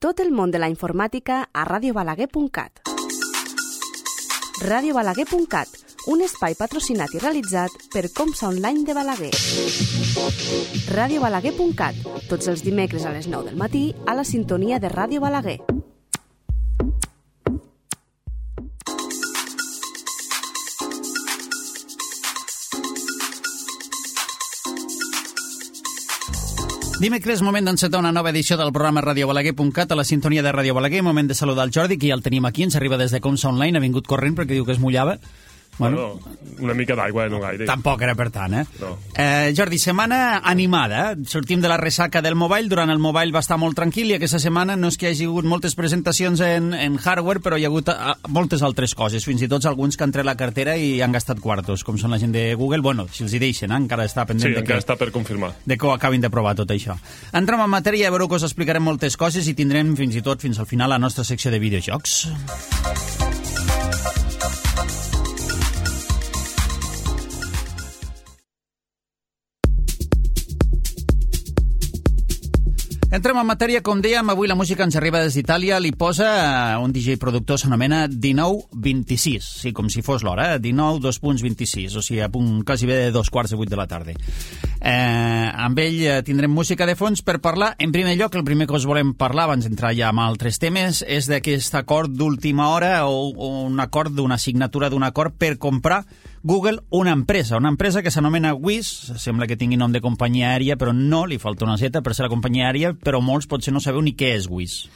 tot el món de la informàtica a radiobalaguer.cat. radiobalaguer.cat, un espai patrocinat i realitzat per Comsa Online de Balaguer. radiobalaguer.cat, tots els dimecres a les 9 del matí a la sintonia de Ràdio Balaguer. Dimecres, moment d'encetar una nova edició del programa radiobalaguer.cat a la sintonia de Ràdio Balaguer. Moment de saludar el Jordi, que ja el tenim aquí, ens arriba des de Comsa Online, ha vingut corrent perquè diu que es mullava. Bueno, una mica d'aigua, no gaire. Tampoc era per tant, No. Jordi, setmana animada. Sortim de la ressaca del Mobile. Durant el Mobile va estar molt tranquil i aquesta setmana no és que hi hagi hagut moltes presentacions en hardware, però hi ha hagut moltes altres coses, fins i tot alguns que han tret la cartera i han gastat quartos, com són la gent de Google. Bueno, si els hi deixen, encara està pendent sí, encara està per confirmar. De que ho acabin de provar tot això. Entrem en matèria, a veure que us explicarem moltes coses i tindrem fins i tot fins al final la nostra secció de videojocs. Entrem en matèria, com dèiem, avui la música ens arriba des d'Itàlia, li posa un DJ productor, s'anomena 1926, sí, com si fos l'hora, 19:26, o sigui, a punt quasi bé de 2:15 de la tarda. Amb ell tindrem música de fons per parlar. En primer lloc, el primer que us volem parlar, abans d'entrar ja amb altres temes, és d'aquest acord d'última hora o un acord d'una signatura d'un acord per comprar Google una empresa que s'anomena Wizz, sembla que tingui nom de companyia aèria, però no, li falta una zeta per ser la companyia aèria, però molts potser no sabeu ni què és Wizz.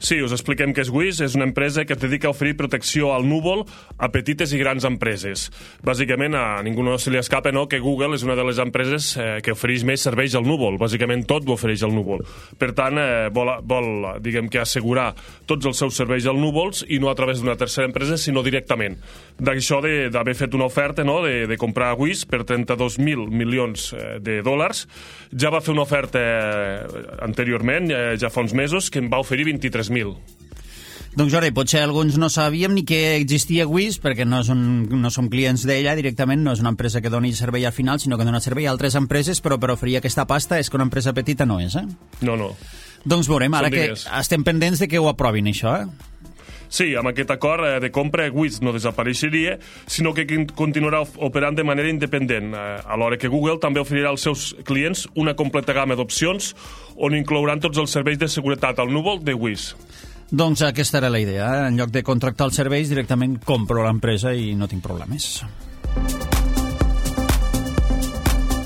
Sí, us expliquem què és Wizz. És una empresa que es dedica a oferir protecció al núvol a petites i grans empreses. Bàsicament, a ningú no se li escapa, no?, que Google és una de les empreses que ofereix més serveis al núvol. Bàsicament tot ho ofereix al núvol. Per tant, vol diguem que assegurar tots els seus serveis al núvols i no a través d'una tercera empresa, sinó directament. D'això d'haver fet una oferta, no?, de comprar Wizz per 32.000 milions de dòlars. Ja va fer una oferta anteriorment, ja fa uns mesos, que en va oferir 23.000. Doncs Jordi, potser alguns no sabíem ni que existia Wizz, perquè no som clients d'ella directament, no és una empresa que doni servei al final, sinó que dona servei a altres empreses, però per oferir aquesta pasta és que una empresa petita no és, No. Doncs veurem, ara que estem pendents de que ho aprovin, això, Sí, amb aquest acord de compra, Wizz no desapareixeria, sinó que continuarà operant de manera independent, alhora que Google també oferirà als seus clients una completa gamma d'opcions on inclouran tots els serveis de seguretat al núvol de Wizz. Doncs aquesta era la idea, en lloc de contractar els serveis, directament compro l'empresa i no tinc problemes.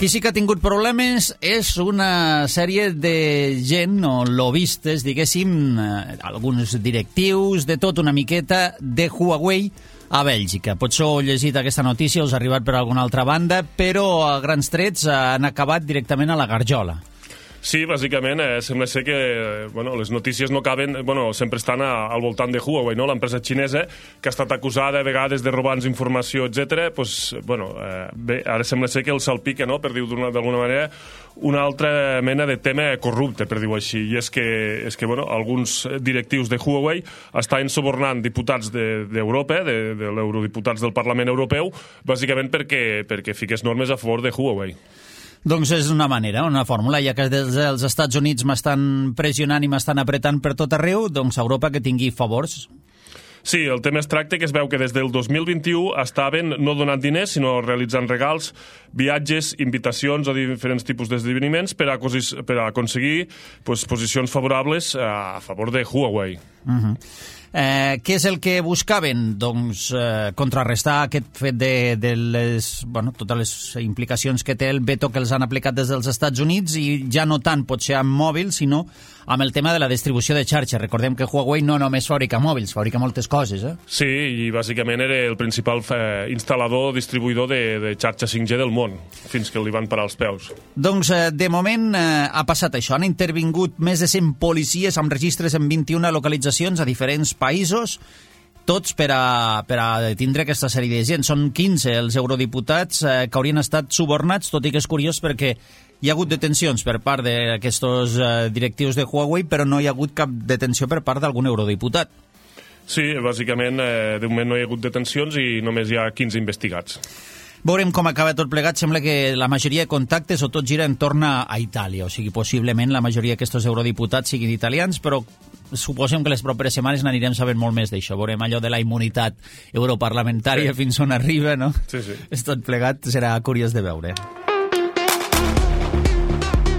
Qui sí que ha tingut problemes és una sèrie de gent, o lobbistes, diguéssim, alguns directius, de tot una miqueta, de Huawei a Bèlgica. Potser heu llegit aquesta notícia, us ha arribat per alguna altra banda, però a grans trets han acabat directament a la garjola. Sí, bàsicament, sembla ser que les notícies no acaben, sempre estan al voltant de Huawei, no? L'empresa xinesa, que ha estat acusada a vegades de robar-nos informació, etc. Bé, ara sembla ser que el salpica, no?, per dir-ho d'alguna manera, una altra mena de tema corrupte, per dir-ho així, i és que alguns directius de Huawei estaven subornant diputats d'Europa, de l'eurodiputats del Parlament Europeu, bàsicament perquè fiqués normes a favor de Huawei. Doncs és una manera, una fórmula, ja que des dels Estats Units m'estan pressionant i m'estan apretant per tot arreu, doncs Europa que tingui favors. Sí, el tema es tracta que es veu que des del 2021 estaven no donant diners, sinó realitzant regals, viatges, invitacions a diferents tipus d'esdeveniments per aconseguir posicions favorables a favor de Huawei. Què és el que buscaven? Doncs contrarrestar aquest fet de totes les implicacions que té el veto que els han aplicat des dels Estats Units, i ja no tant potser amb mòbils, sinó amb el tema de la distribució de xarxa. Recordem que Huawei no només fabrica mòbils, fabrica moltes coses, Sí, i bàsicament era el principal instal·lador, distribuïdor de xarxa 5G del món, fins que li van parar els peus. Doncs de moment ha passat això. Han intervingut més de 100 policies amb registres en 21 localitzacions a diferents països, tots per a tindre aquesta sèrie de gent. Són 15 els eurodiputats que haurien estat subornats, tot i que és curiós perquè hi ha hagut detencions per part d'aquests directius de Huawei, però no hi ha hagut cap detenció per part d'algun eurodiputat. Sí, bàsicament, de moment no hi ha hagut detencions i només hi ha 15 investigats. Veurem com acaba tot plegat. Sembla que la majoria de contactes o tot gira en torn a Itàlia, o sigui, possiblement la majoria d'aquests eurodiputats siguin italians, però suposem que les properes setmanes n'anirem sabent molt més d'això. Veurem allò de la immunitat europarlamentària fins on arriba, no? Sí. Tot plegat serà curiós de veure.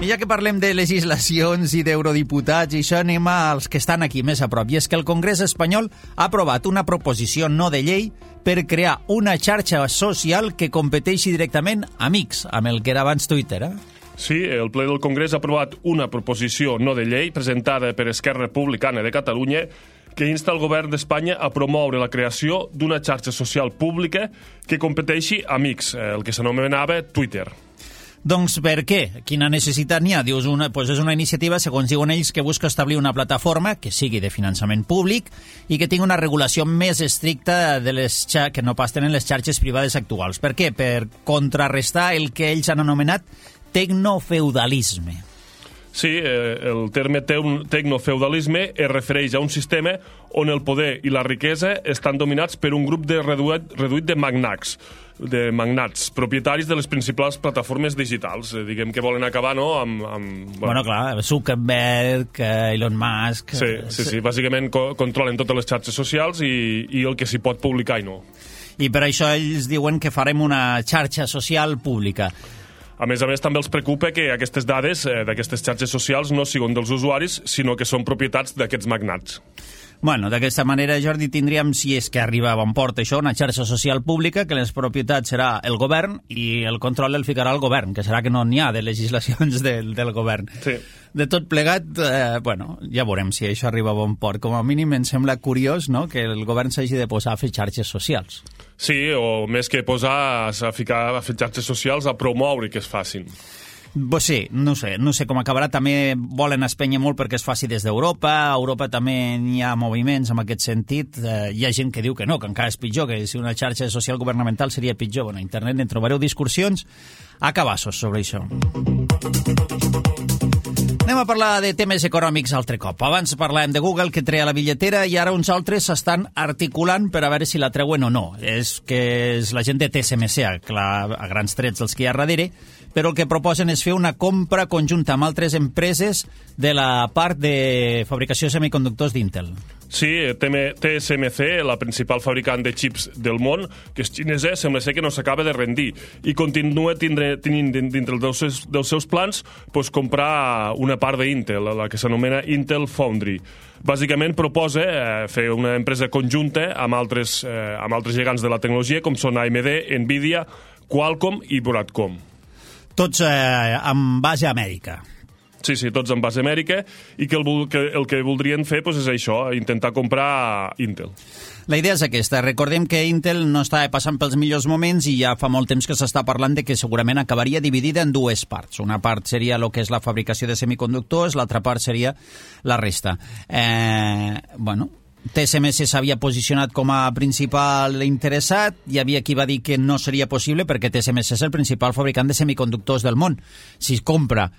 I ja que parlem de legislacions i d'eurodiputats i això, anem als que estan aquí més a prop. I és que el Congrés espanyol ha aprovat una proposició no de llei per crear una xarxa social que competeixi directament amb X, amb el que era abans Twitter, Sí, el ple del Congrés ha aprovat una proposició no de llei presentada per Esquerra Republicana de Catalunya que insta el govern d'Espanya a promoure la creació d'una xarxa social pública que competeixi amb X, el que s'anomenava Twitter. Doncs per què? Quina necessitat n'hi ha? Dius, és una iniciativa, segons diuen ells, que busca establir una plataforma que sigui de finançament públic i que tingui una regulació més estricta que no pas tenen les xarxes privades actuals. Per què? Per contrarrestar el que ells han anomenat tecnofeudalisme. Sí, el terme tecnofeudalisme es refereix a un sistema on el poder i la riquesa estan dominats per un grup reduït de magnats, propietaris de les principals plataformes digitals. Diguem que volen acabar, no?, Bueno, clar, Zuckerberg, Elon Musk... Sí, bàsicament controlen totes les xarxes socials i el que s'hi pot publicar i no. I per això ells diuen que farem una xarxa social pública. A més, també els preocupa que aquestes dades d'aquestes xarxes socials no siguin dels usuaris, sinó que són propietats d'aquests magnats. Bueno, d'aquesta manera, Jordi, tindríem, si és que arriba a bon port això, una xarxa social pública, que les propietats serà el govern i el control el ficarà el govern, que serà que no n'hi ha de legislacions del govern. Sí. De tot plegat, ja veurem si això arriba a bon port. Com a mínim em sembla curiós, no?, que el govern s'hagi de posar a fer xarxes socials. Sí, o més que posar a fer xarxes socials, a promoure que es facin. Pues sí, no sé com acabarà. També volen espènyer molt perquè es faci des d'Europa. A Europa també hi ha moviments en aquest sentit. Hi ha gent que diu que no, que encara és pitjor, que si una xarxa social governamental seria pitjor. Bueno, a internet en trobareu discursions a cabassos sobre això. Anem a parlar de temes econòmics altre cop. Abans parlàvem de Google, que treia la bitlletera, i ara uns altres s'estan articulant per a veure si la treuen o no. És la gent de TSMC, a grans trets dels que hi ha darrere, però el que proposen és fer una compra conjunta amb altres empreses de la part de fabricació de semiconductors d'Intel. Sí, TSMC, la principal fabricant de xips del món, que és xinesa, sembla ser que no s'acaba de rendir i continua tenint dintre dels seus plans comprar una part d'Intel, la que s'anomena Intel Foundry. Bàsicament proposa fer una empresa conjunta amb altres gegants de la tecnologia, com són AMD, Nvidia, Qualcomm i Broadcom. Tots amb base a Amèrica. Sí, tots en base a Amèrica, i que el que voldrien fer és això, intentar comprar Intel. La idea és aquesta. Recordem que Intel no estava passant pels millors moments i ja fa molt temps que s'està parlant de que segurament acabaria dividida en dues parts. Una part seria el que és la fabricació de semiconductors, l'altra part seria la resta. TSMC s'havia posicionat com a principal interessat, hi havia qui va dir que no seria possible perquè TSMC és el principal fabricant de semiconductors del món. Si compra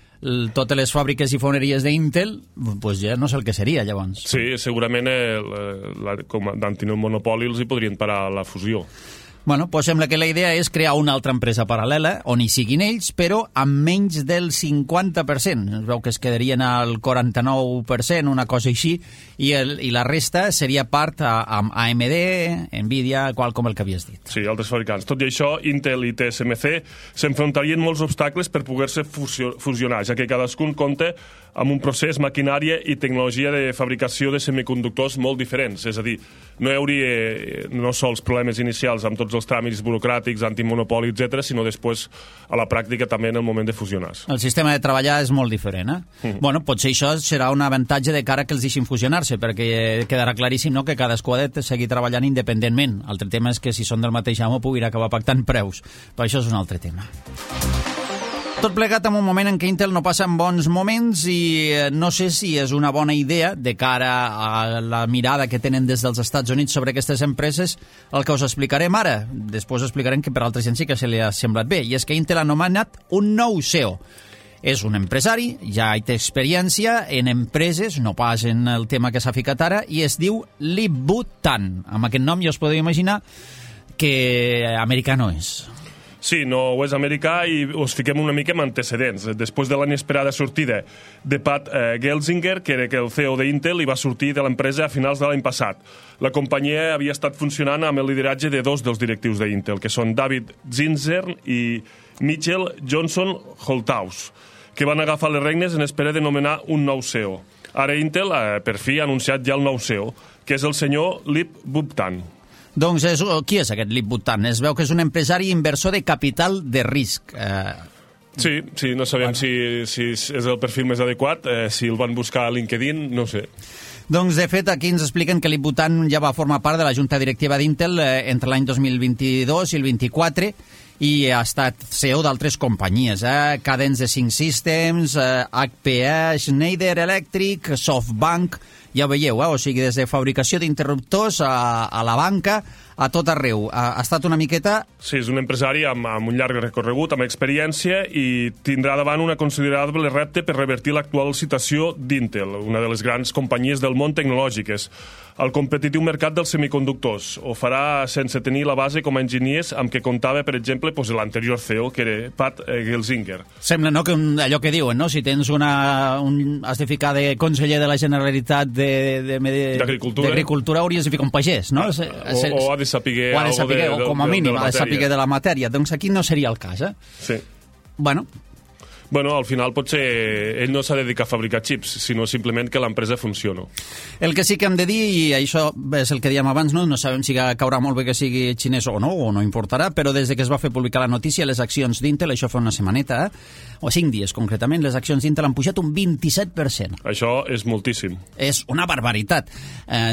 totes les fàbriques i foneries d'Intel, doncs ja no sé el que seria, llavors. Sí, segurament com d'antinou monopoli els hi podrien parar la fusió. Bueno, doncs sembla que la idea és crear una altra empresa paral·lela on hi siguin ells, però amb menys del 50%. Es veu que es quedarien al 49%, una cosa així, i la resta seria part amb AMD, Nvidia, com el que havies dit. Sí, altres fabricants. Tot i això, Intel i TSMC s'enfrontarien molts obstacles per poder-se fusionar, ja que cadascun compta amb un procés, maquinària i tecnologia de fabricació de semiconductors molt diferents. És a dir, no hi hauria no sols problemes inicials amb tots els tràmits burocràtics, antimonopoli, etc., sinó després a la pràctica també en el moment de fusionar. El sistema de treballar és molt diferent, Bueno, potser això serà un avantatge de cara que els deixin fusionar-se, perquè quedarà claríssim, no?, que cadascú ha de seguir treballant independentment. L'altre tema és que si són del mateix amo puguin acabar pactant preus, però això és un altre tema. Tot plegat en un moment en què Intel no passa en bons moments i no sé si és una bona idea de cara a la mirada que tenen des dels Estats Units sobre aquestes empreses, el que us explicarem ara. Després explicarem que per altra gent sí que se li ha semblat bé, i és que Intel ha nomenat un nou CEO. És un empresari, ja hi té experiència en empreses, no pas en el tema que s'ha ficat ara, i es diu Lip-Bu Tan. Amb aquest nom ja us podeu imaginar que americà no és. Sí, no és americà i us fiquem una mica amb antecedents. Després de l'inesperada sortida de Pat Gelsinger, que era el CEO d'Intel, i va sortir de l'empresa a finals de l'any passat. La companyia havia estat funcionant amb el lideratge de dos dels directius d'Intel, que són David Zinsern i Mitchell Johnson Holthaus, que van agafar les regnes en espera de nomenar un nou CEO. Ara Intel, per fi, ha anunciat ja el nou CEO, que és el senyor Lip Buptan. Doncs qui és aquest Lip Buptan? Es veu que és un empresari inversor de capital de risc. Sí, no sabem si és el perfil més adequat, si el van buscar a LinkedIn, no sé. Doncs, de fet, aquí ens expliquen que Lip Buptan ja va formar part de la junta directiva d'Intel entre l'any 2022 i el 24 i ha estat CEO d'altres companyies, Cadence Design Systems, HPE, Schneider Electric, SoftBank. Ja ho veieu, o sigui, des de fabricació d'interruptors a la banca, a tot arreu. Ha estat una miqueta... Sí, és un empresari amb un llarg recorregut, amb experiència, i tindrà davant una considerable repte per revertir l'actual situació d'Intel, una de les grans companyies del món tecnològiques, al competitiu mercat dels semiconductors. Ho farà sense tenir la base com a enginyers amb què comptava, per exemple, l'anterior CEO, que era Pat Gelsinger. Sembla, no?, que allò que diuen, no?, si tens has de ficar de conseller de la Generalitat d'Agricultura, hauries de ficar un pagès, no? O ha de saber o com a mínim ha de saber de la matèria. Doncs aquí no seria el cas, Sí. Bueno, al final potser ell no s'ha de dedicar a fabricar xips, sinó simplement que l'empresa funciona. El que sí que hem de dir, i això és el que dèiem abans, no sabem si caurà molt bé que sigui xinès o no importarà, però des que es va fer publicar la notícia, les accions d'Intel, això fa una setmaneta, o 5 dies concretament, les accions d'Intel han pujat un 27%. Això és moltíssim. És una barbaritat.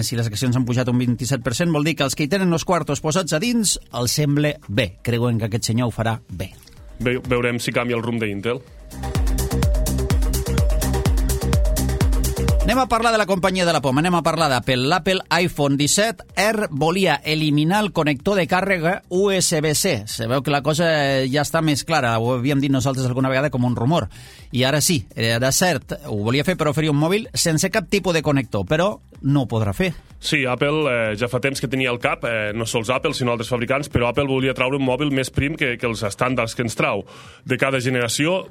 Si les accions han pujat un 27%, vol dir que els que hi tenen els quartos posats a dins els sembla bé. Creuen que aquest senyor ho farà bé. Veurem si canvia el rumb d'Intel. Anem a parlar de la companyia de la poma, anem a parlar d'Apple. L'Apple iPhone 17R volia eliminar el connector de càrrega USB-C. Se veu que la cosa ja està més clara, ho havíem dit nosaltres alguna vegada com un rumor. I ara sí, era cert, ho volia fer per oferir un mòbil sense cap tipus de connector, però no ho podrà fer. Sí, Apple ja fa temps que tenia al cap, no sols Apple, sinó altres fabricants, però Apple volia traure un mòbil més prim que els estàndards que ens trau. De cada generació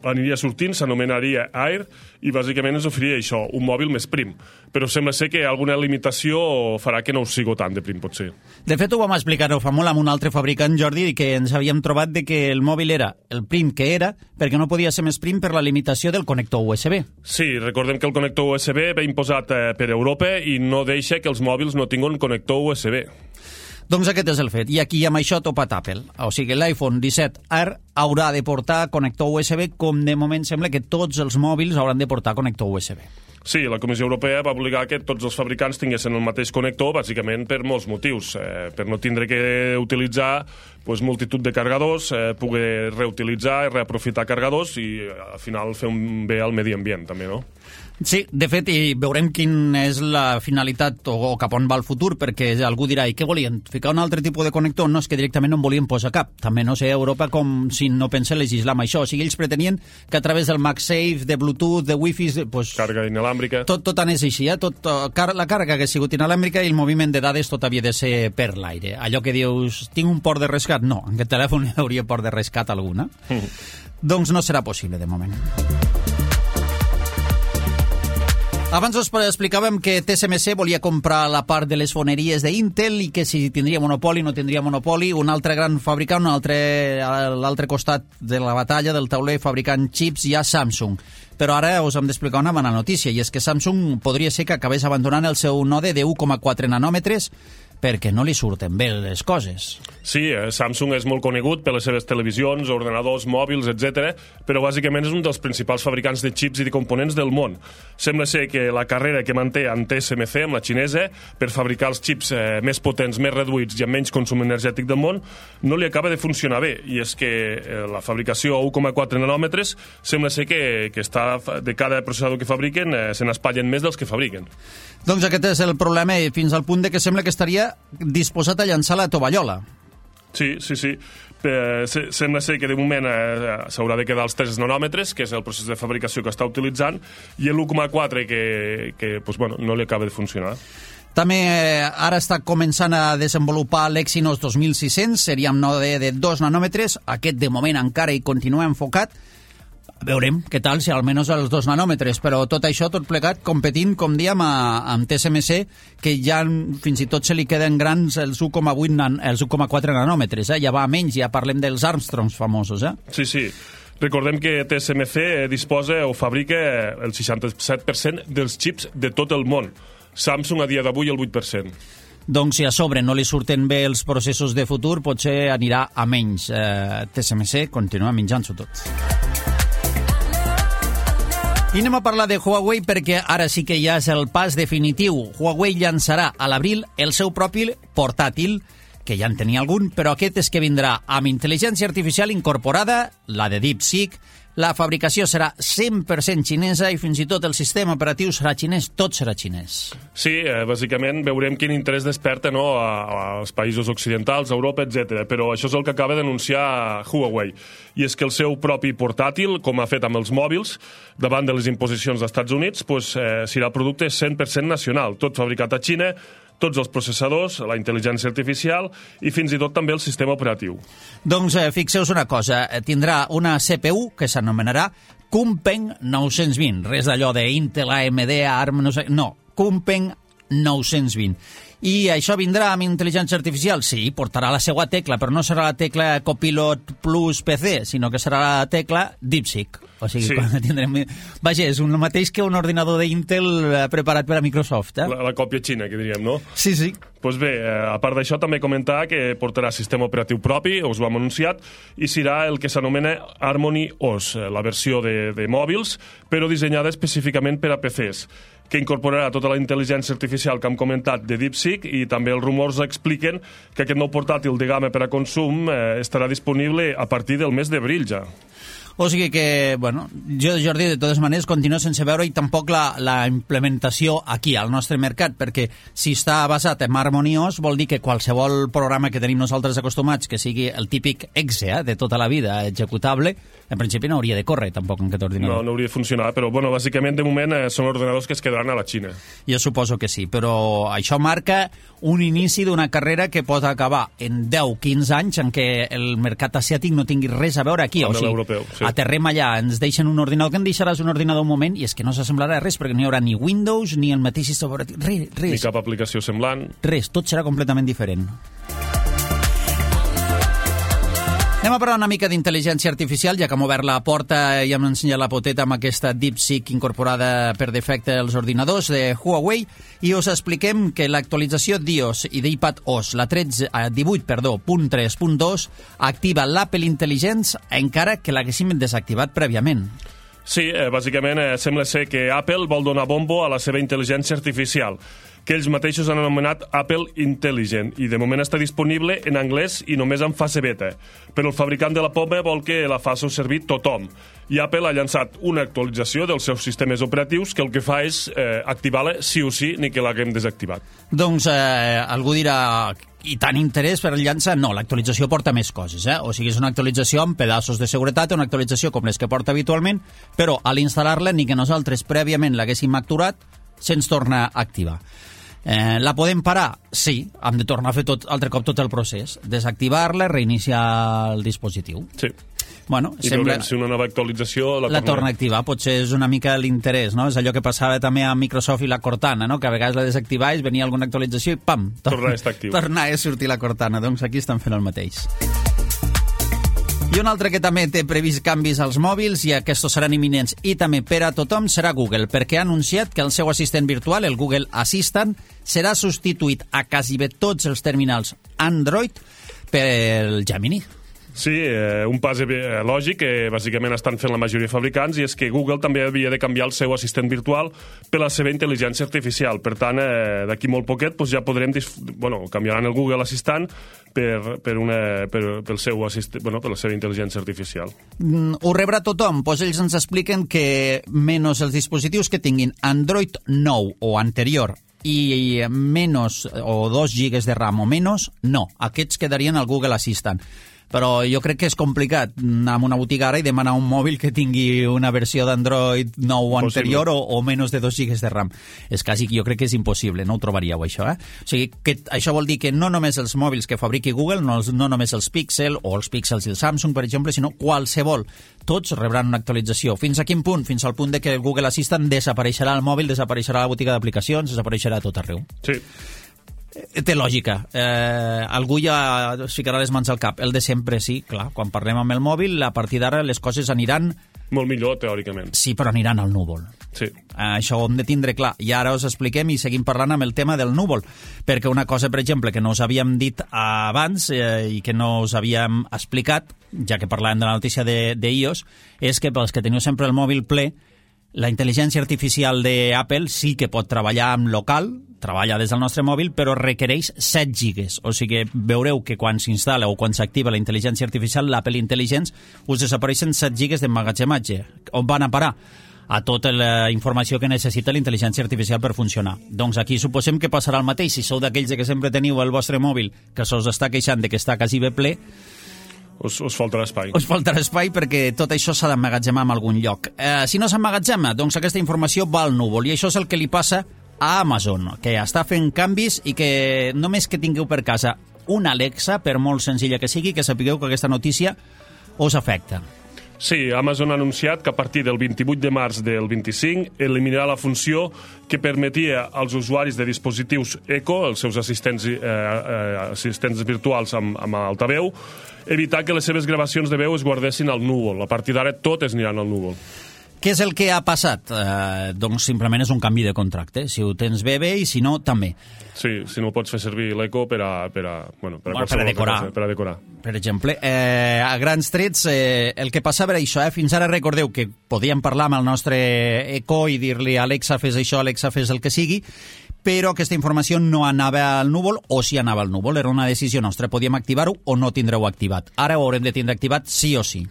aniria sortint, s'anomenaria Air, i bàsicament ens oferiria això, un mòbil més prim. Però sembla ser que alguna limitació farà que no ho sigui tant de prim, potser. De fet, ho vam explicar fa molt amb un altre fabricant, Jordi, que ens havíem trobat de que el mòbil era el prim que era, perquè no podia ser més prim per la limitació del connector USB. Sí, recordem que el connector USB ve imposat per Europa i no deixa que els mòbils no tinguin connector USB. Doncs aquest és el fet, i aquí amb això topat Apple. O sigui, l'iPhone 17R haurà de portar connector USB, com de moment sembla que tots els mòbils hauran de portar connector USB. Sí, la Comissió Europea va obligar que tots els fabricants tinguessin el mateix connector, bàsicament per molts motius. Per no tindre que utilitzar multitud de cargadors, poder reutilitzar i reaprofitar cargadors i al final fer un bé al medi ambient, també, no? Sí, de fet, i veurem quina és la finalitat o cap on va el futur, perquè algú dirà, i què volien? Ficar un altre tipus de connector? No, és que directament no en volien posar cap. També no sé, Europa com si no pensa legislar amb això. O sigui, ells pretenien que a través del MagSafe, de Bluetooth, de Wi-Fi... Càrrega inalàmbrica. Tot anés així, la càrrega que ha sigut inalàmbrica i el moviment de dades tot havia de ser per l'aire. Allò que dius, tinc un port de rescat? No, en aquest telèfon hi hauria port de rescat alguna. Doncs no serà possible de moment. Abans us explicàvem que TSMC volia comprar la part de les foneries d'Intel i que si tindria monopoli no tindria monopoli. Un altre gran fabricant, a l'altre costat de la batalla del tauler fabricant xips, hi ha Samsung. Però ara us hem d'explicar una bona notícia, i és que Samsung podria ser que acabés abandonant el seu node de 1,4 nanòmetres perquè no li surten bé les coses. Sí, Samsung és molt conegut per les seves televisions, ordenadors, mòbils, etc., però bàsicament és un dels principals fabricants de xips i de components del món. Sembla ser que la carrera que manté amb TSMC, amb la xinesa, per fabricar els xips més potents, més reduïts i amb menys consum energètic del món, no li acaba de funcionar bé. I és que la fabricació a 1,4 nanòmetres sembla ser que està, de cada processador que fabriquen, se n'espatllen més dels que fabriquen. Doncs aquest és el problema, fins al punt de que sembla que estaria disposat a llançar la tovallola. Sí. Sembla ser que de moment s'haurà de quedar als 3 nanòmetres, que és el procés de fabricació que està utilitzant, i l'1,4 que no li acaba de funcionar. També ara està començant a desenvolupar l'Exynos 2600, seria amb node de 2 nanòmetres. Aquest, de moment, encara hi continua enfocat. Veurem què tal, si almenys els 2 nanòmetres, però tot això, tot plegat, competint, com diem, amb TSMC, que ja fins i tot se li queden grans els 1,4 nanòmetres, ja va a menys, ja parlem dels Armstrongs famosos. Sí. Recordem que TSMC disposa o fabrica el 67% dels xips de tot el món. Samsung a dia d'avui el 8%. Doncs si a sobre no li surten bé els processos de futur, potser anirà a menys. TSMC continua menjant-s'ho tot. I anem a parlar de Huawei perquè ara sí que ja és el pas definitiu. Huawei llançarà a l'abril el seu propi portàtil, que ja en tenia algun, però aquest és que vindrà amb intel·ligència artificial incorporada, la de DeepSeek. La fabricació serà 100% xinesa i fins i tot el sistema operatiu serà xinès, tot serà xinès. Sí, bàsicament veurem quin interès desperta als països occidentals, a Europa, etc. Però això és el que acaba d'anunciar Huawei. I és que el seu propi portàtil, com ha fet amb els mòbils, davant de les imposicions dels Estats Units, serà producte 100% nacional, tot fabricat a Xina, tots els processadors, la intel·ligència artificial i fins i tot també el sistema operatiu. Doncs fixeu-vos una cosa, tindrà una CPU que s'anomenarà Kunpeng 920, res d'allò d'Intel, AMD, ARM, no, Kunpeng 920. I això vindrà amb intel·ligència artificial? Sí, portarà la seva tecla, però no serà la tecla Copilot Plus PC, sinó que serà la tecla DeepSeek. O sigui, sí. Tindrem... Vaja, és el mateix que un ordinador d'Intel preparat per a Microsoft. La còpia xina, que diríem, no? Sí. Doncs bé, a part d'això, també comentar que portarà sistema operatiu propi, us ho hem anunciat, i serà el que s'anomena Harmony OS, la versió de mòbils, però dissenyada específicament per a PCs, que incorporarà tota la intel·ligència artificial que hem comentat de DeepSeek, i també els rumors expliquen que aquest nou portàtil de gamma per a consum estarà disponible a partir del mes d'abril ja. O sigui que, bueno, jo, Jordi, de totes maneres, continuo sense veure i tampoc la implementació aquí, al nostre mercat, perquè si està basat en Harmony OS vol dir que qualsevol programa que tenim nosaltres acostumats, que sigui el típic exe de tota la vida, executable, en principi no hauria de córrer tampoc en aquest ordinador. No hauria de funcionar, però, bueno, bàsicament, de moment, són ordenadors que es quedaran a la Xina. Jo suposo que sí, però això marca un inici d'una carrera que pot acabar en 10-15 anys en què el mercat asiàtic no tingui res a veure aquí. O sigui, l'europeu, sí. Aterrem allà, ens deixen un ordinador, que en deixaràs un ordinador un moment, i és que no s'assemblarà res, perquè no hi haurà ni Windows, ni el mateix sistema operatiu, res. Ni cap aplicació semblant. Res, tot serà completament diferent. Anem a parlar una mica d'intel·ligència artificial, ja que hem obert la porta i hem ensenyat la poteta amb aquesta DeepSeek incorporada per defecte als ordinadors de Huawei, i us expliquem que l'actualització d'iOS i d'iPadOS, la 18.3.2, activa l'Apple Intelligence encara que l'haguéssim desactivat prèviament. Sí, bàsicament sembla ser que Apple vol donar bombo a la seva intel·ligència artificial, que ells mateixos han anomenat Apple Intelligent, i de moment està disponible en anglès i només en fase beta. Però el fabricant de la poma vol que la faci servir tothom. I Apple ha llançat una actualització dels seus sistemes operatius que el que fa és activar-la sí o sí, ni que l'haguem desactivat. Doncs algú dirà, i tant interès per llançar? No, l'actualització porta més coses, O sigui, és una actualització amb pedaços de seguretat, una actualització com les que porta habitualment, però a l'instal·lar-la, ni que nosaltres prèviament l'haguéssim actuat, se'ns torna a activar. La podem parar? Sí, hem de tornar a fer altre cop tot el procés, desactivar-la, reiniciar el dispositiu. Sí. Bueno, i veurem si una nova actualització la torna a activar. Potser és una mica l'interès, no? És allò que passava també a Microsoft i la Cortana, no? Que a vegades la desactivaves, venia alguna actualització i pam! Tornar a estar actiu. Tornar a sortir la Cortana. Doncs aquí estan fent el mateix. I un altre que també té previst canvis als mòbils, i aquests seran imminents i també per a tothom, serà Google, perquè ha anunciat que el seu assistent virtual, el Google Assistant, serà substituït a quasi bé tots els terminals Android pel Gemini. Sí, un pas lògic que bàsicament estan fent la majoria de fabricants, i és que Google també havia de canviar el seu assistent virtual per la seva intel·ligència artificial. Per tant, d'aquí molt poquet ja podrem... canviaran el Google Assistant per la seva intel·ligència artificial. Ho rebrà tothom? Doncs ells ens expliquen que menys els dispositius que tinguin Android 9 o anterior i menys o 2 gigas de RAM o menys, no. Aquests quedarien al Google Assistant. però jo crec que és complicat anar a una botiga ara i demanar un mòbil que tingui una versió d'Android nou o anterior o menys de 2 GB de RAM. És quasi, jo crec que és impossible, no ho trobaríeu, això. O sigui, que això vol dir que no només els mòbils que fabriqui Google, no només els Pixel o els Pixels i el Samsung, per exemple, sinó qualsevol. Tots rebran una actualització. Fins a quin punt? Fins al punt de que el Google Assistant desapareixerà al mòbil, desapareixerà a la botiga d'aplicacions, desapareixerà a tot arreu. Sí. Té lògica. Algú ja es ficarà les mans al cap. El de sempre, sí, clar. Quan parlem amb el mòbil, a partir d'ara les coses aniran... Molt millor, teòricament. Sí, però aniran al núvol. Sí. Això ho hem de tindre clar. I ara us expliquem i seguim parlant amb el tema del núvol. Perquè una cosa, per exemple, que no us havíem dit abans i que no us havíem explicat, ja que parlàvem de la notícia d'iOS, és que pels que teniu sempre el mòbil ple, la intel·ligència artificial d'Apple sí que pot treballar en local, treballa des del nostre mòbil, però requereix 7 gigas. O sigui, veureu que quan s'instal·la o quan s'activa la intel·ligència artificial, l'Apple Intelligence, us desapareixen 7 gigas d'emmagatzematge. On van a parar? A tota la informació que necessita la intel·ligència artificial per funcionar. Doncs aquí suposem que passarà el mateix. Si sou d'aquells que sempre teniu el vostre mòbil que s'us està queixant de que està quasi bé ple, us faltarà espai. Us faltarà espai perquè tot això s'ha d'emmagatzemar en algun lloc. Si no s'emmagatzema, doncs aquesta informació va al núvol, i això és el que li passa a Amazon, que està fent canvis i que només que tingueu per casa una Alexa, per molt senzilla que sigui, que sapigueu que aquesta notícia us afecta. Sí, Amazon ha anunciat que a partir del 28 de març del 25 eliminarà la funció que permetia als usuaris de dispositius Echo, els seus assistents virtuals amb altaveu, evitar que les seves gravacions de veu es guardessin al núvol. A partir d'ara totes aniran al núvol. Què és el que ha passat? Doncs simplement és un canvi de contracte. Si ho tens bé, bé, i si no, també. Sí, si no pots fer servir l'Echo per a decorar. Per a decorar. Per exemple, a grans trets, el que passava era això. Fins ara recordeu que podíem parlar amb el nostre Echo i dir-li Alexa, fes això, Alexa, fes el que sigui, però aquesta informació no anava al núvol, o si anava al núvol. Era una decisió nostra. Podíem activar-ho o no tindreu activat. Ara ho haurem de tindre activat sí o sí.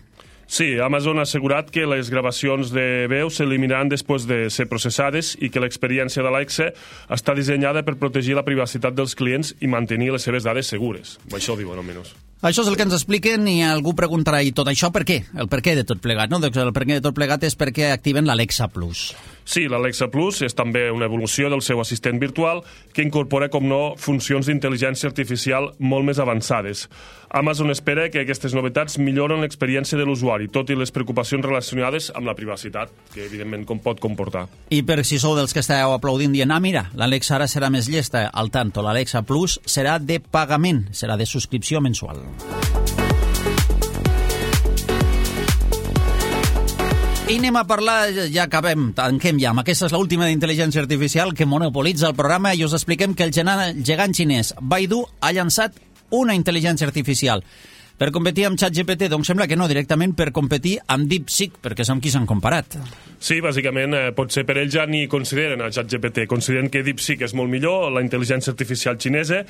Sí, Amazon ha assegurat que les gravacions de veu s'eliminaran després de ser processades i que l'experiència d'Alexa està dissenyada per protegir la privacitat dels clients i mantenir les seves dades segures. Això ho diuen, almenys. Això és el que ens expliquen i algú preguntarà, i tot això per què? El per què de tot plegat, no? Doncs el per què de tot plegat és perquè activen l'Alexa Plus. Sí, l'Alexa Plus és també una evolució del seu assistent virtual que incorpora, com no, funcions d'intel·ligència artificial molt més avançades. Amazon espera que aquestes novetats milloren l'experiència de l'usuari, tot i les preocupacions relacionades amb la privacitat, que evidentment com pot comportar. I per si sou dels que esteu aplaudint dient, mira, l'Alexa ara serà més llesta, al tanto, l'Alexa Plus serà de pagament, serà de subscripció mensual. I anem a parlar, ja acabem, tanquem ja, aquesta és l'última d'intel·ligència artificial que monopolitza el programa i us expliquem que el gegant xinès Baidu ha llançat una intel·ligència artificial per competir amb ChatGPT. Doncs sembla que no, directament per competir amb DeepSeek, perquè és amb qui s'han comparat. Sí, bàsicament, potser per ells ja ni consideren a ChatGPT, consideren que DeepSeek és molt millor, la intel·ligència artificial xinesa,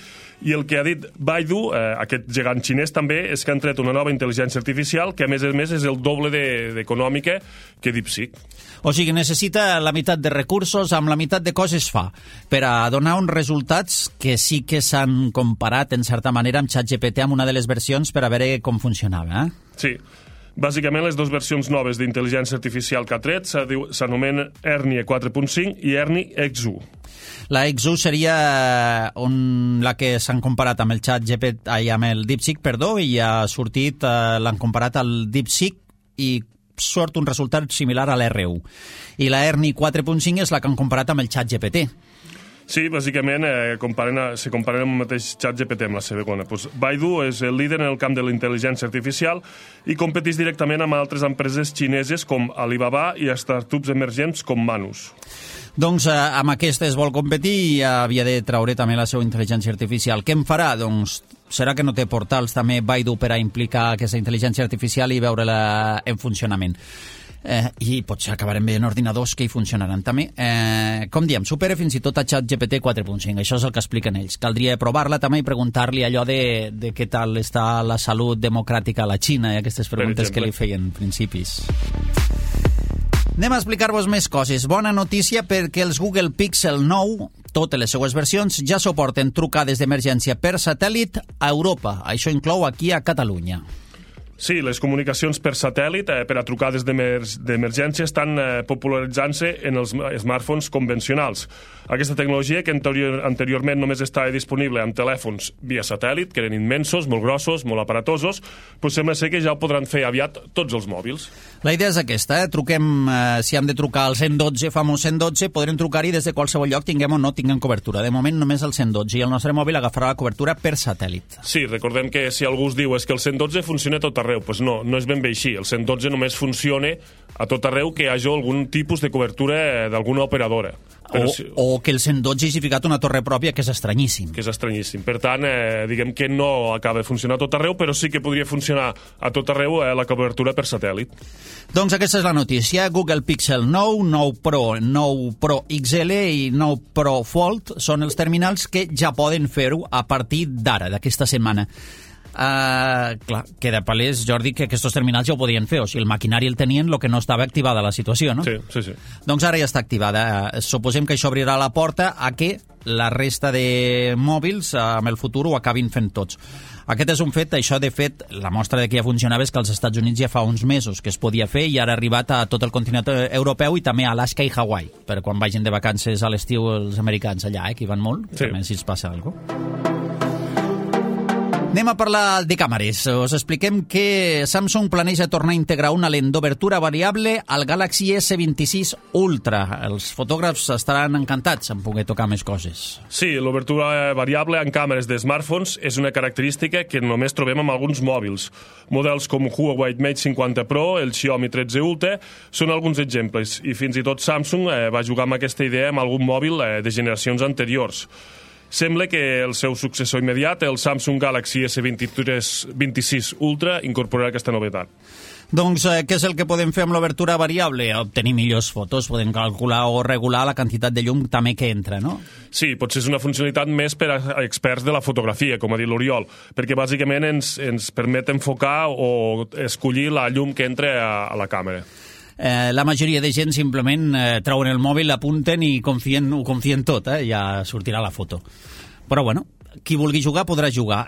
i el que ha dit Baidu, aquest gegant xinès també, és que han tret una nova intel·ligència artificial que a més és el doble d'econòmica que DeepSeek. O sigui, necessita la meitat de recursos, amb la meitat de coses fa, per a donar uns resultats que sí que s'han comparat, en certa manera, amb ChatGPT, amb una de les versions, per a veure com funcionava. Sí. Bàsicament, les dues versions noves d'intel·ligència artificial que ha tret s'anomenen Ernie 4.5 i Ernie X1. La X1 seria la que s'han comparat amb el ChatGPT, amb el DeepSeek, i ha sortit, l'han comparat al DeepSeek i surt un resultat similar a l'R1. I la Ernie 4.5 és la que han comparat amb el ChatGPT. Sí, bàsicament se comparen amb el mateix ChatGPT amb la segona. Baidu és el líder en el camp de la intel·ligència artificial i competeix directament amb altres empreses xineses com Alibaba i startups emergents com Manus. Doncs amb aquestes vol competir i havia de traure també la seva intel·ligència artificial. Què en farà? Doncs serà que no té portals també Baidu per a implicar aquesta intel·ligència artificial i veure-la en funcionament. I potser acabarem veient ordinadors que hi funcionaran també. Com diem, supera fins i tot a ChatGPT 4.5. Això és el que expliquen ells. Caldria provar-la també i preguntar-li allò de què tal està la salut democràtica a la Xina i aquestes preguntes que li feien principis. Anem a explicar-vos més coses. Bona notícia perquè els Google Pixel 9 totes les seues versions ja suporten trucades d'emergència per satèl·lit a Europa. Això inclou aquí a Catalunya. Sí, les comunicacions per satèl·lit per a trucades d'emergència estan popularitzant-se en els smartphones convencionals. Aquesta tecnologia, que anteriorment només estava disponible en telèfons via satèl·lit, que eren immensos, molt grossos, molt aparatosos, doncs sembla ser que ja ho podran fer aviat tots els mòbils. La idea és aquesta, truquem, si hem de trucar al 112, famós 112, podrem trucar-hi des de qualsevol lloc, tinguem o no tinguem cobertura. De moment només el 112 i el nostre mòbil agafarà la cobertura per satèl·lit. Sí, recordem que si algú us diu és que el 112 funciona a tot arreu, doncs no és ben bé així. El 112 només funciona a tot arreu que hi hagi algun tipus de cobertura d'alguna operadora. O que el 112 hagi ficat una torre pròpia, que és estranyíssim. Que és estranyíssim. Per tant, diguem que no acaba de funcionar a tot arreu, però sí que podria funcionar a tot arreu la cobertura per satèl·lit. Doncs aquesta és la notícia. Google Pixel 9, 9 Pro, 9 Pro XL i 9 Pro Fold són els terminals que ja poden fer-ho a partir d'ara, d'aquesta setmana. Clar, queda palès, Jordi, que aquests terminals ja ho podien fer, o sigui, el maquinari el tenien, el que no estava activada la situació, no? Sí. Doncs ara ja està activada. Suposem que això obrirà la porta a que la resta de mòbils en el futur ho acabin fent tots. Aquest és un fet, això de fet, la mostra de que ja funcionava és que als Estats Units ja fa uns mesos que es podia fer i ara ha arribat a tot el continent europeu i també a Alaska i Hawaii, per quan vagin de vacances a l'estiu els americans allà, que hi van molt, sí. També si els passa alguna cosa. Anem a parlar de càmeres. Us expliquem que Samsung planeja tornar a integrar una lent d'obertura variable al Galaxy S26 Ultra. Els fotògrafs estaran encantats en poder tocar més coses. Sí, l'obertura variable en càmeres de smartphones és una característica que només trobem amb alguns mòbils. Models com Huawei Mate 50 Pro, el Xiaomi 13 Ultra, són alguns exemples. I fins i tot Samsung va jugar amb aquesta idea amb algun mòbil de generacions anteriors. Sembla que el seu successor immediat, el Samsung Galaxy S26 Ultra, incorporarà aquesta novetat. Doncs què és el que podem fer amb l'obertura variable? Obtenir millors fotos, podem calcular o regular la quantitat de llum també que entra, no? Sí, potser és una funcionalitat més per a experts de la fotografia, com ha dit l'Oriol, perquè bàsicament ens permet enfocar o escollir la llum que entra a la càmera. La majoria de gent simplement treuen el mòbil, l'apunten i ho confien tot, ja sortirà la foto. Però bueno, qui vulgui jugar podrà jugar.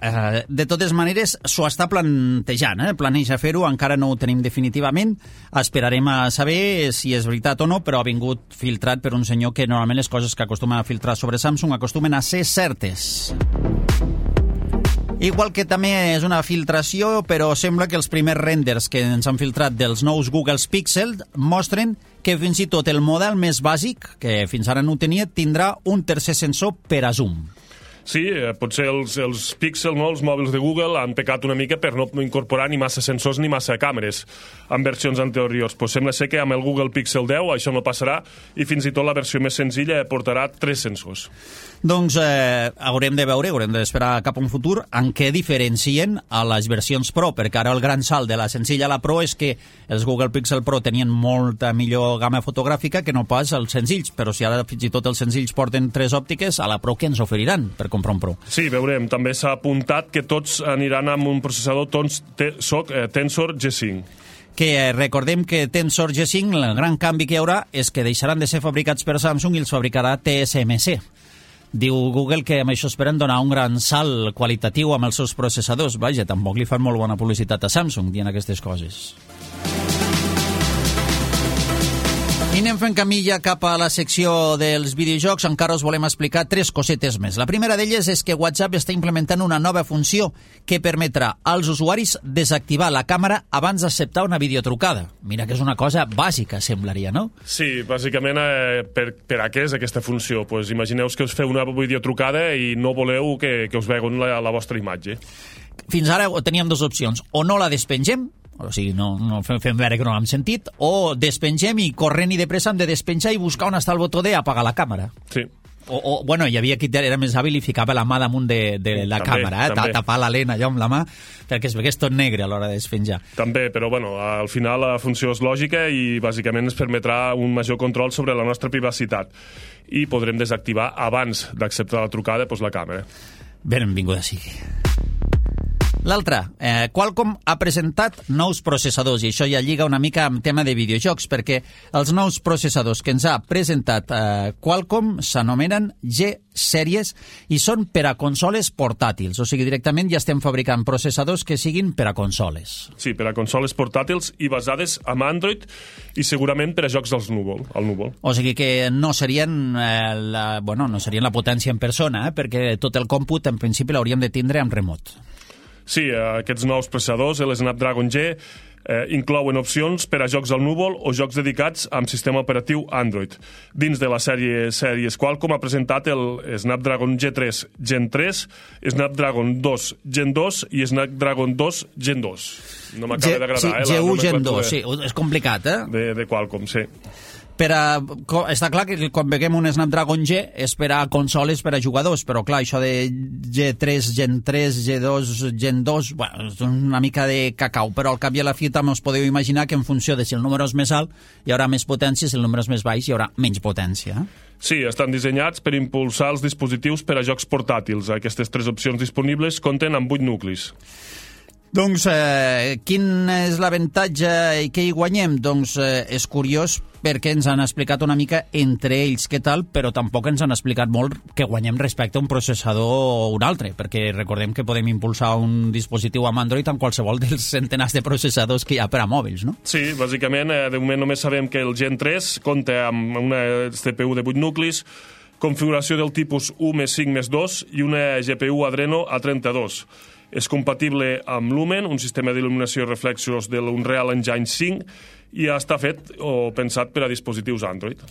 De totes maneres, s'ho està plantejant, planeja fer-ho, encara no ho tenim definitivament, esperarem a saber si és veritat o no, però ha vingut filtrat per un senyor que normalment les coses que acostumen a filtrar sobre Samsung acostumen a ser certes. Igual que també és una filtració, però sembla que els primers renders que ens han filtrat dels nous Google Pixel mostren que fins i tot el model més bàsic, que fins ara no tenia, tindrà un tercer sensor per a zoom. Sí, potser els Pixel, no, els mòbils de Google, han pecat una mica per no incorporar ni massa sensors ni massa càmeres en versions anteriors. Pues sembla ser que amb el Google Pixel 10 això no passarà i fins i tot la versió més senzilla portarà 3 sensors. Doncs haurem de veure, haurem d'esperar cap a un futur en què diferencien a les versions Pro, perquè ara el gran salt de la senzilla a la Pro és que els Google Pixel Pro tenien molta millor gamma fotogràfica que no pas els senzills, però si ara fins i tot els senzills porten 3 òptiques, a la Pro què ens oferiran per comprar un Pro? Sí, veurem. També s'ha apuntat que tots aniran amb un processador Tensor G5. Que recordem que Tensor G5, el gran canvi que hi haurà és que deixaran de ser fabricats per Samsung i els fabricarà TSMC. Diu Google que amb això esperen donar un gran salt qualitatiu amb els seus processadors. Vaja, tampoc li fan molt bona publicitat a Samsung dient aquestes coses. I anem fent camí ja cap a la secció dels videojocs. Encara us volem explicar 3 cosetes més. La primera d'elles és que WhatsApp està implementant una nova funció que permetrà als usuaris desactivar la càmera abans d'acceptar una videotrucada. Mira que és una cosa bàsica, semblaria, no? Sí, bàsicament per a què és aquesta funció? Pues imagineu que us feu una videotrucada i no voleu que us veuen la vostra imatge. Fins ara teníem 2 opcions. O no la despengem, o sigui, no fem veure que no l'hem sentit, o despengem i corrent i de pressa hem de despenjar i buscar on està el botó d'apagar la càmera. Sí. O bueno, hi havia qui era més hàbil i ficava la mà damunt de la càmera, tapar la lent allò amb la mà, perquè es vegués tot negre a l'hora de despenjar. També, però bueno, al final la funció és lògica i bàsicament ens permetrà un major control sobre la nostra privacitat i podrem desactivar abans d'acceptar la trucada la càmera. Benvinguda sigui. L'altre, Qualcomm ha presentat nous processadors, i això ja lliga una mica amb tema de videojocs, perquè els nous processadors que ens ha presentat Qualcomm s'anomenen G-Series i són per a consoles portàtils, o sigui, directament ja estem fabricant processadors que siguin per a consoles. Sí, per a consoles portàtils i basades en Android i segurament per a jocs al núvol. O sigui que no serien no serien la potència en persona, perquè tot el còmput en principi l'hauríem de tindre amb remot. Sí, aquests nous processadors, el Snapdragon G, inclouen opcions per a jocs al núvol o jocs dedicats amb sistema operatiu Android. Dins de la sèries Qualcomm ha presentat el Snapdragon G3 Gen 3, Snapdragon 2 Gen 2 i Snapdragon 2 Gen 2. No m'acaba d'agradar. Sí, G1 Gen 2, sí, és complicat, De Qualcomm, sí. Està clar que quan veiem un Snapdragon G és per a consoles, per a jugadors, però clar, això de G3, Gen 3, G2, Gen 2, és una mica de cacau, però al cap i a la fi també us podeu imaginar que en funció de si el número és més alt hi haurà més potència, si el número és més baix hi haurà menys potència. Sí, estan dissenyats per impulsar els dispositius per a jocs portàtils. Aquestes 3 opcions disponibles compten amb 8 nuclis. Doncs quin és l'avantatge i què hi guanyem? Doncs és curiós perquè ens han explicat una mica entre ells què tal, però tampoc ens han explicat molt què guanyem respecte a un processador o un altre, perquè recordem que podem impulsar un dispositiu amb Android amb qualsevol dels centenars de processadors que hi ha per a mòbils, no? Sí, bàsicament, de moment només sabem que el Gen 3 compta amb una CPU de 8 nuclis, configuració del tipus 1+5+2 i una GPU Adreno A32. És compatible amb Lumen, un sistema d'il·luminació i reflexos de l'Unreal Engine 5, i està fet o pensat per a dispositius Android.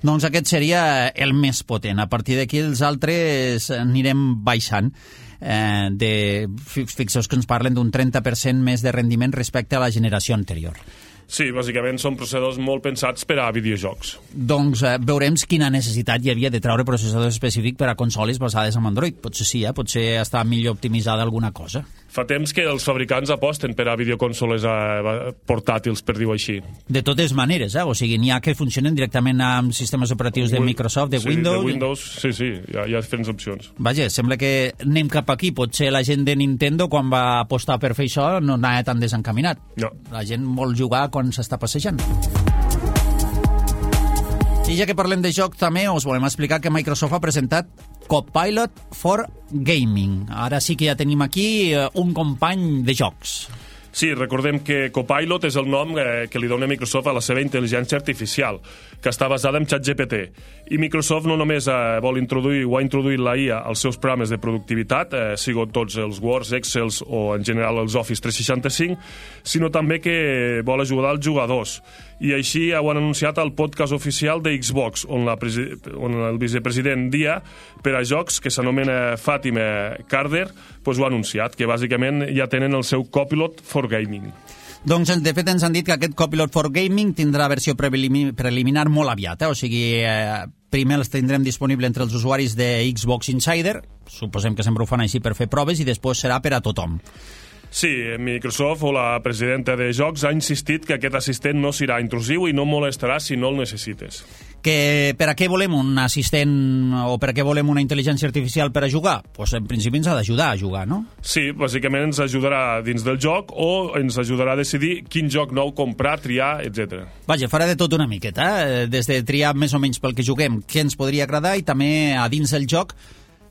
Doncs aquest seria el més potent. A partir d'aquí els altres anirem baixant. Fixeu-vos que ens parlen d'un 30% més de rendiment respecte a la generació anterior. Sí, bàsicament són processadors molt pensats per a videojocs. Doncs veurem quina necessitat hi havia de treure processadors específics per a consoles basades en Android. Potser sí, potser està millor optimitzada alguna cosa. Fa temps que els fabricants aposten per a videoconsoles portàtils, per dir-ho així. De totes maneres, o sigui, n'hi ha que funcionen directament amb sistemes operatius de Microsoft, de Windows... Sí, de Windows, sí, hi ha diferents opcions. Vaja, sembla que anem cap aquí. Potser la gent de Nintendo, quan va apostar per fer això, no anava tan desencaminat. No. La gent vol jugar quan s'està passejant. I ja que parlem de joc, també us volem explicar que Microsoft ha presentat Copilot for Gaming. Ara sí que ja tenim aquí un company de jocs. Sí, recordem que Copilot és el nom que li dona Microsoft a la seva intel·ligència artificial, que està basada en ChatGPT. I Microsoft no només vol introduir o ha introduït la IA als seus programes de productivitat, siguin tots els Words, Excels o en general els Office 365, sinó també que vol ajudar els jugadors. I així ho han anunciat al podcast oficial de Xbox, on el vicepresident Dia, per a jocs, que s'anomena Fatima Carder, ho ha anunciat, que bàsicament ja tenen el seu Copilot for Gaming. Doncs, de fet, ens han dit que aquest Copilot for Gaming tindrà versió preliminar molt aviat, o sigui, primer els tindrem disponible entre els usuaris de Xbox Insider, suposem que sempre ho fan així per fer proves, i després serà per a tothom. Sí, Microsoft o la presidenta de Jocs ha insistit que aquest assistent no serà intrusiu i no molestarà si no el necessites. Que per a què volem un assistent o per a què volem una intel·ligència artificial per a jugar? Doncs en principi ens ha d'ajudar a jugar, no? Sí, bàsicament ens ajudarà dins del joc o ens ajudarà a decidir quin joc nou comprar, triar, etc. Vaja, farà de tot una miqueta, des de triar més o menys pel que juguem, què ens podria agradar, i també a dins del joc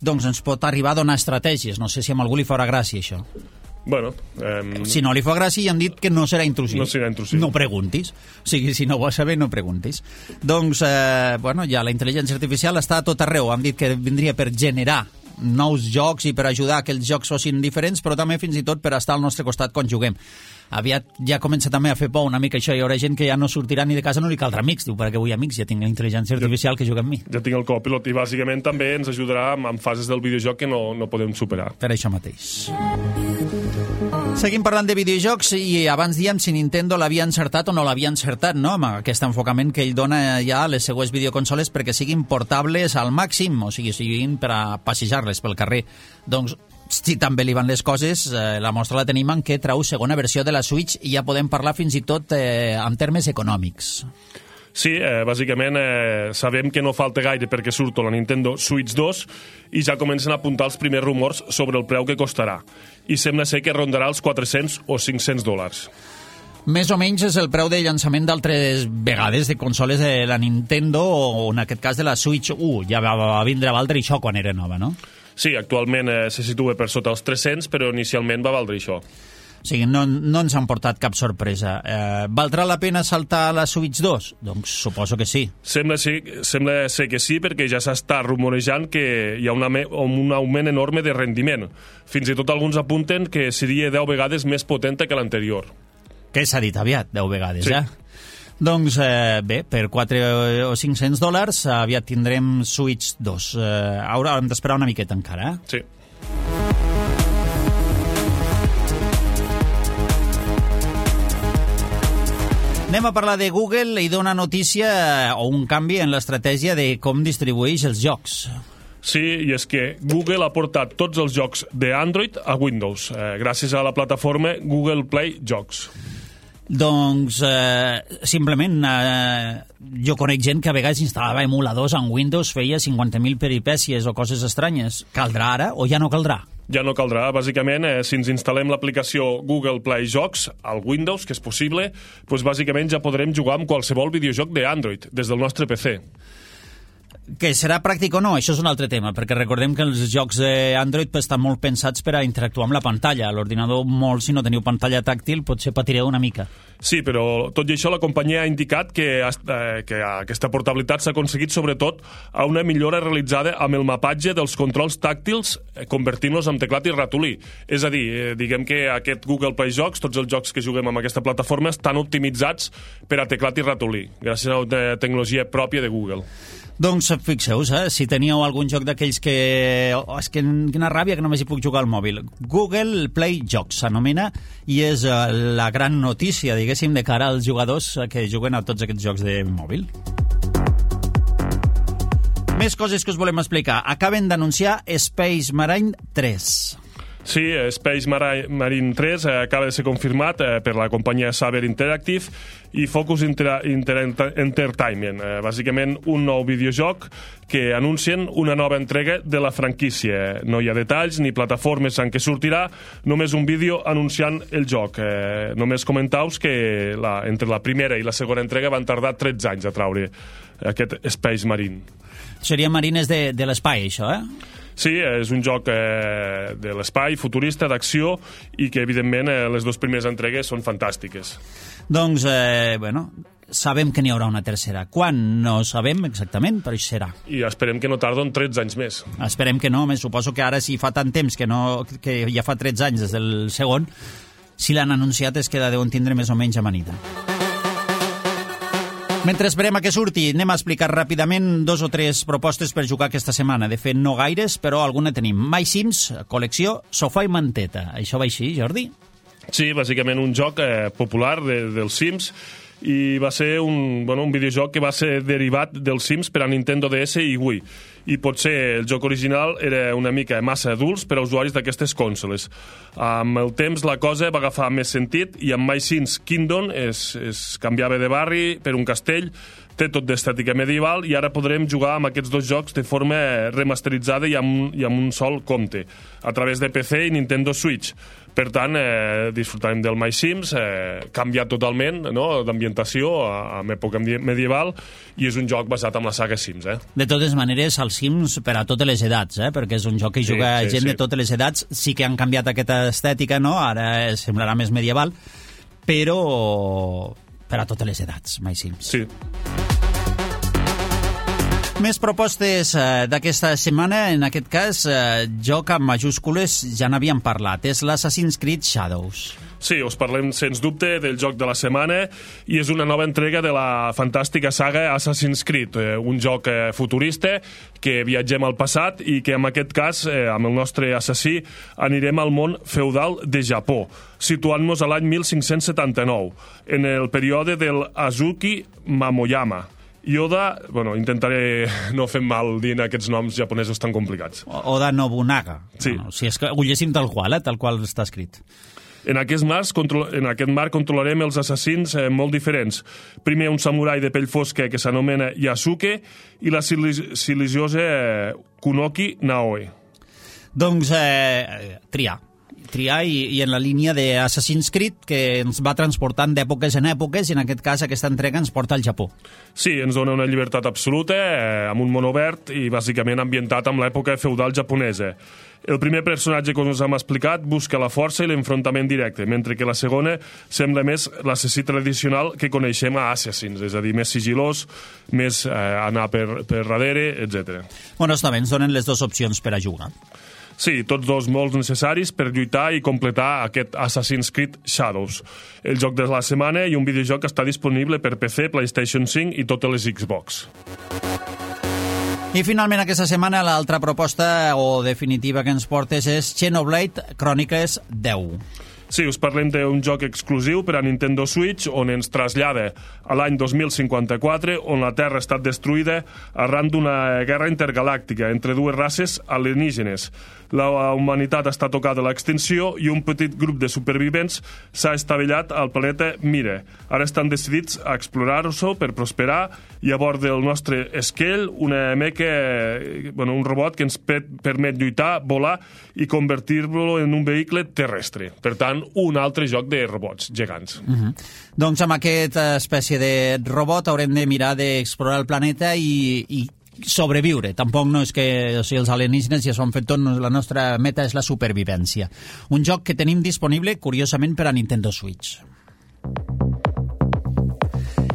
doncs ens pot arribar a donar estratègies. No sé si a algú li farà gràcia això. Bueno, si no li fa gràcia, ja han dit que no serà intrusiu. No serà intrusiu. No preguntis. O sigui, si no ho vols saber, no preguntis. Doncs, ja la intel·ligència artificial està a tot arreu. Han dit que vindria per generar nous jocs i per ajudar que els jocs fossin diferents, però també fins i tot per estar al nostre costat quan juguem. Aviat ja comença també a fer por una mica això. Hi haurà gent que ja no sortirà ni de casa, no li caldrà amics. Diu, per què vull amics? Ja tinc la intel·ligència artificial que juga amb mi. Ja tinc el Copilot i bàsicament també ens ajudarà en fases del videojoc que no podem superar. Per això mateix. Seguim parlant de videojocs i abans diem si Nintendo l'havia encertat o no l'havia encertat, no? Amb aquest enfocament que ell dona ja a les seues videoconsoles perquè siguin portables al màxim, o sigui, siguin per a passejar-les pel carrer. Doncs, si també li van les coses, la mostra la tenim en què trau segona versió de la Switch i ja podem parlar fins i tot en termes econòmics. Sí, bàsicament sabem que no falta gaire perquè surto la Nintendo Switch 2 i ja comencen a apuntar els primers rumors sobre el preu que costarà. I sembla ser que rondarà els $400 o $500. Més o menys és el preu de llançament d'altres vegades de consoles de la Nintendo o en aquest cas de la Switch 1. Ja va vindre a valdre això quan era nova, no? Sí, actualment se situa per sota els 300, però inicialment va valdre això. O sigui, no ens han portat cap sorpresa. Valdrà la pena saltar a la Switch 2? Doncs suposo que sí. Sembla ser que sí, perquè ja s'està rumorejant que hi ha un augment enorme de rendiment. Fins i tot alguns apunten que seria 10 vegades més potenta que l'anterior. Que s'ha dit aviat, 10 vegades, sí. Doncs bé, per $400 o $500 aviat tindrem Switch 2. Ara hem d'esperar una miqueta encara, Sí. Anem a parlar de Google i d'una notícia o un canvi en l'estratègia de com distribueix els jocs. Sí, i és que Google ha portat tots els jocs d'Android a Windows, gràcies a la plataforma Google Play Jocs. Doncs, simplement, jo conec gent que a vegades instal·lava emuladors en Windows, feia 50.000 peripècies o coses estranyes. Caldrà ara o ja no caldrà? Ja no caldrà. Bàsicament, si ens instal·lem l'aplicació Google Play Jocs al Windows, que és possible, doncs bàsicament ja podrem jugar amb qualsevol videojoc d'Android des del nostre PC. Que serà pràctic o no, això és un altre tema, perquè recordem que els jocs d'Android estan molt pensats per a interactuar amb la pantalla. A l'ordinador, molt, si no teniu pantalla tàctil, potser patireu una mica. Sí, però tot i això la companyia ha indicat que aquesta portabilitat s'ha aconseguit sobretot a una millora realitzada amb el mapatge dels controls tàctils, convertint-los en teclat i ratolí. És a dir, diguem que aquest Google Play Jocs, tots els jocs que juguem amb aquesta plataforma, estan optimitzats per a teclat i ratolí, gràcies a una tecnologia pròpia de Google. Doncs fixeu-vos, si teníeu algun joc d'aquells que... és que quina ràbia que només hi puc jugar al mòbil. Google Play Jocs s'anomena i és la gran notícia, diguéssim, de cara als jugadors que juguen a tots aquests jocs de mòbil. Més coses que us volem explicar. Acaben d'anunciar Space Marine 3. Sí, Space Marine 3 acaba de ser confirmat per la companyia Saber Interactive i Focus Entertainment. Bàsicament, un nou videojoc que anuncien una nova entrega de la franquícia. No hi ha detalls ni plataformes en què sortirà, només un vídeo anunciant el joc. Només comentaus que entre la primera i la segona entrega van tardar 13 anys a traure aquest Space Marine. Serien marines de l'espai, això, Sí, és un joc de l'espai, futurista, d'acció, i que, evidentment, les dues primeres entregues són fantàstiques. Doncs, sabem que n'hi haurà una tercera. Quan? No sabem exactament, però això serà. I esperem que no tarden 13 anys més. Esperem que no, suposo que ara, si fa tant temps que ja fa 13 anys des del segon, si l'han anunciat és que la deuen tindre més o menys amanida. Mentre esperem a que surti, anem a explicar ràpidament 2 o 3 propostes per jugar aquesta setmana. De fet, no gaires, però alguna tenim. My Sims, col·lecció, sofà i manteta. Això va així, Jordi? Sí, bàsicament un joc popular dels Sims, i va ser un videojoc que va ser derivat dels Sims per a Nintendo DS i Wii. I potser el joc original era una mica massa adults per a usuaris d'aquestes consoles. Amb el temps la cosa va agafar més sentit i amb My Sims Kingdom es canviava de barri per un castell, té tot d'estètica medieval i ara podrem jugar amb aquests dos jocs de forma remasteritzada i amb un sol compte, a través de PC i Nintendo Switch. Per tant, disfrutarem del My Sims, canviat totalment, no?, d'ambientació en època medieval, i és un joc basat en la saga Sims. De totes maneres, els Sims per a totes les edats, perquè és un joc que juga gent de totes les edats. Sí que han canviat aquesta estètica, no?, ara semblarà més medieval, però per a totes les edats, My Sims. Sí. Més propostes d'aquesta setmana, en aquest cas, joc amb majúscules, ja n'havíem parlat, és l'Assassin's Creed Shadows. Sí, us parlem sens dubte del joc de la setmana i és una nova entrega de la fantàstica saga Assassin's Creed, un joc futurista que viatgem al passat i que en aquest cas, amb el nostre assassí, anirem al món feudal de Japó, situant-nos a l'any 1579, en el període del Azuki Momoyama. Yoda, intentaré no fer mal dient aquests noms japonesos tan complicats. Oda Nobunaga. Sí. Si és que ho llegim tal qual està escrit. En aquest marc controlarem els assassins molt diferents. Primer, un samurai de pell fosca que s'anomena Yasuke i la silenciosa Kunoki Naoe. Doncs triar i en la línia d'Assassin's Creed, que ens va transportant d'èpoques en èpoques, i en aquest cas aquesta entrega ens porta al Japó. Sí, ens dona una llibertat absoluta, amb un món obert i bàsicament ambientat amb l'època feudal japonesa. El primer personatge que us hem explicat busca la força i l'enfrontament directe, mentre que la segona sembla més l'assassí tradicional que coneixem a Assassins, és a dir, més sigilós, més anar per darrere, etc. Bueno, està bé, ens donen les dues opcions per a jugar. Sí, tots dos molt necessaris per lluitar i completar aquest Assassin's Creed Shadows. El joc de la setmana i un videojoc que està disponible per PC, PlayStation 5 i totes les Xbox. I finalment aquesta setmana l'altra proposta o definitiva que ens portes és Xenoblade Chronicles 10. Sí, us parlem d'un joc exclusiu per a Nintendo Switch on ens trasllada a l'any 2054, on la Terra ha estat destruïda arran d'una guerra intergalàctica entre dues races alienígenes. La humanitat està tocada a l'extinció i un petit grup de supervivents s'ha estavellat al planeta Mire. Ara estan decidits a explorar-ho per prosperar i a bord del nostre Skell, una meca, un robot que ens permet lluitar, volar i convertir-lo en un vehicle terrestre. Per tant, un altre joc de robots gegants. Doncs amb aquesta espècie de robot haurem de mirar d'explorar el planeta i sobreviure. Tampoc no és que els alienígenes ja s'ho han fet tot, la nostra meta és la supervivència. Un joc que tenim disponible, curiosament, per a Nintendo Switch.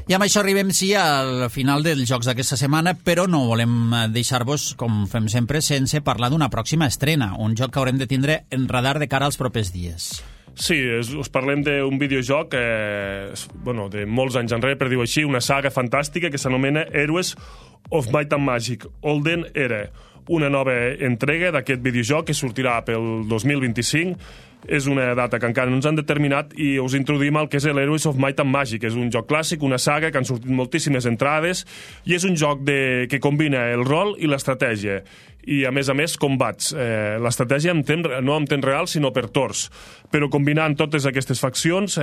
I amb això arribem, sí, al final dels jocs d'aquesta setmana, però no volem deixar-vos, com fem sempre, sense parlar d'una pròxima estrena, un joc que haurem de tindre en radar de cara als propers dies. Sí, us parlem d'un videojoc de molts anys enrere, per dir-ho així, una saga fantàstica que s'anomena Heroes of Might and Magic, Olden Era. Una nova entrega d'aquest videojoc que sortirà pel 2025. És una data que encara no ens han determinat i us introduïm el que és l'Heroes of Might and Magic. És un joc clàssic, una saga que han sortit moltíssimes entrades i és un joc que combina el rol i l'estratègia i, a més, combats. L'estratègia no en temps real, sinó per torns. Però combinant totes aquestes faccions,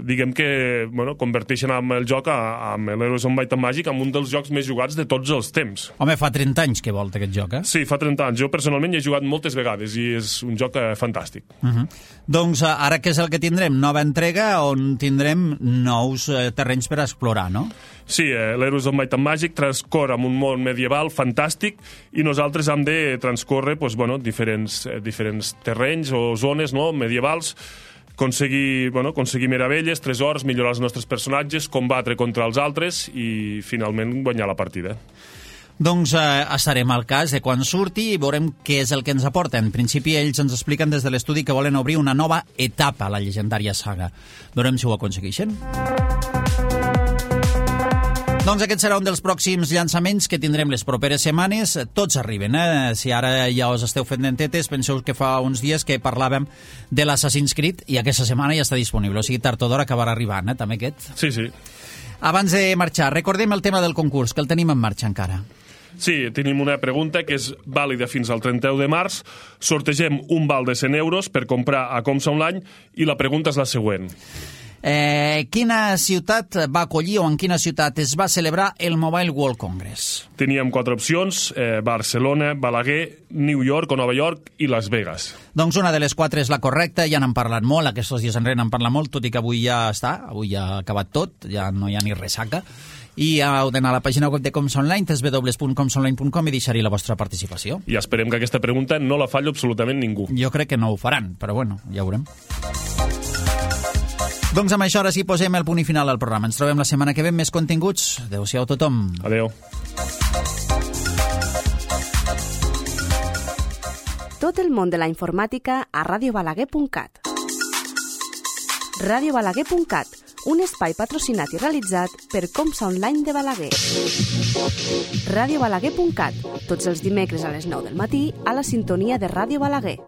diguem que converteixen el joc amb l'Heroes of Might and Magic en un dels jocs més jugats de tots els temps. Home, fa 30 anys que volta aquest joc, eh? Sí, fa 30 anys. Jo personalment hi he jugat moltes vegades i és un joc fantàstic. Doncs ara què és el que tindrem? Nova entrega on tindrem nous terrenys per explorar, no? Sí, l'Heroes of Might and Magic transcorre en un món medieval fantàstic i nosaltres hem de transcórrer diferents terrenys o zones medievals, aconseguir meravelles, tresors, millorar els nostres personatges, combatre contra els altres i finalment guanyar la partida. Doncs estarem al cas de quan surti i veurem què és el que ens aporta. En principi ells ens expliquen des de l'estudi que volen obrir una nova etapa a la llegendària saga. Veurem si ho aconsegueixen. Doncs aquest serà un dels pròxims llançaments que tindrem les properes setmanes. Tots arriben, Si ara ja us esteu fent dentetes, penseu que fa uns dies que parlàvem de l'Assassin's Creed i aquesta setmana ja està disponible. O sigui, tard o d'hora acabarà arribant, també aquest. Sí. Abans de marxar, recordem el tema del concurs, que el tenim en marxa encara. Sí, tenim una pregunta que és vàlida fins al 31 de març. Sortegem un val de 100 euros per comprar a Comsa Online i la pregunta és la següent. Quina ciutat va acollir o en quina ciutat es va celebrar el Mobile World Congress? Teníem 4 opcions, Barcelona, Balaguer, New York o Nova York i Las Vegas. Doncs una de les 4 és la correcta, ja n'han parlat molt, aquests dies enrere n'han parlat molt, tot i que avui ja ha acabat tot, ja no hi ha ni ressaca. I heu d'anar a la pàgina web de Comsa Online, www.comsaonline.com, i deixar-hi la vostra participació. I esperem que aquesta pregunta no la falli absolutament ningú. Jo crec que no ho faran, però bueno, ja ho veurem. Doncs amb això ara sí posem el punt i final al programa. Ens trobem la setmana que ve amb més continguts. Adéu-siau a tothom. Adéu. Tot el món de la informàtica a radiobalaguer.cat. radiobalaguer.cat, un espai patrocinat i realitzat per Comsa Online de Balaguer. radiobalaguer.cat, tots els dimecres a les 9 del matí a la sintonia de Ràdio Balaguer.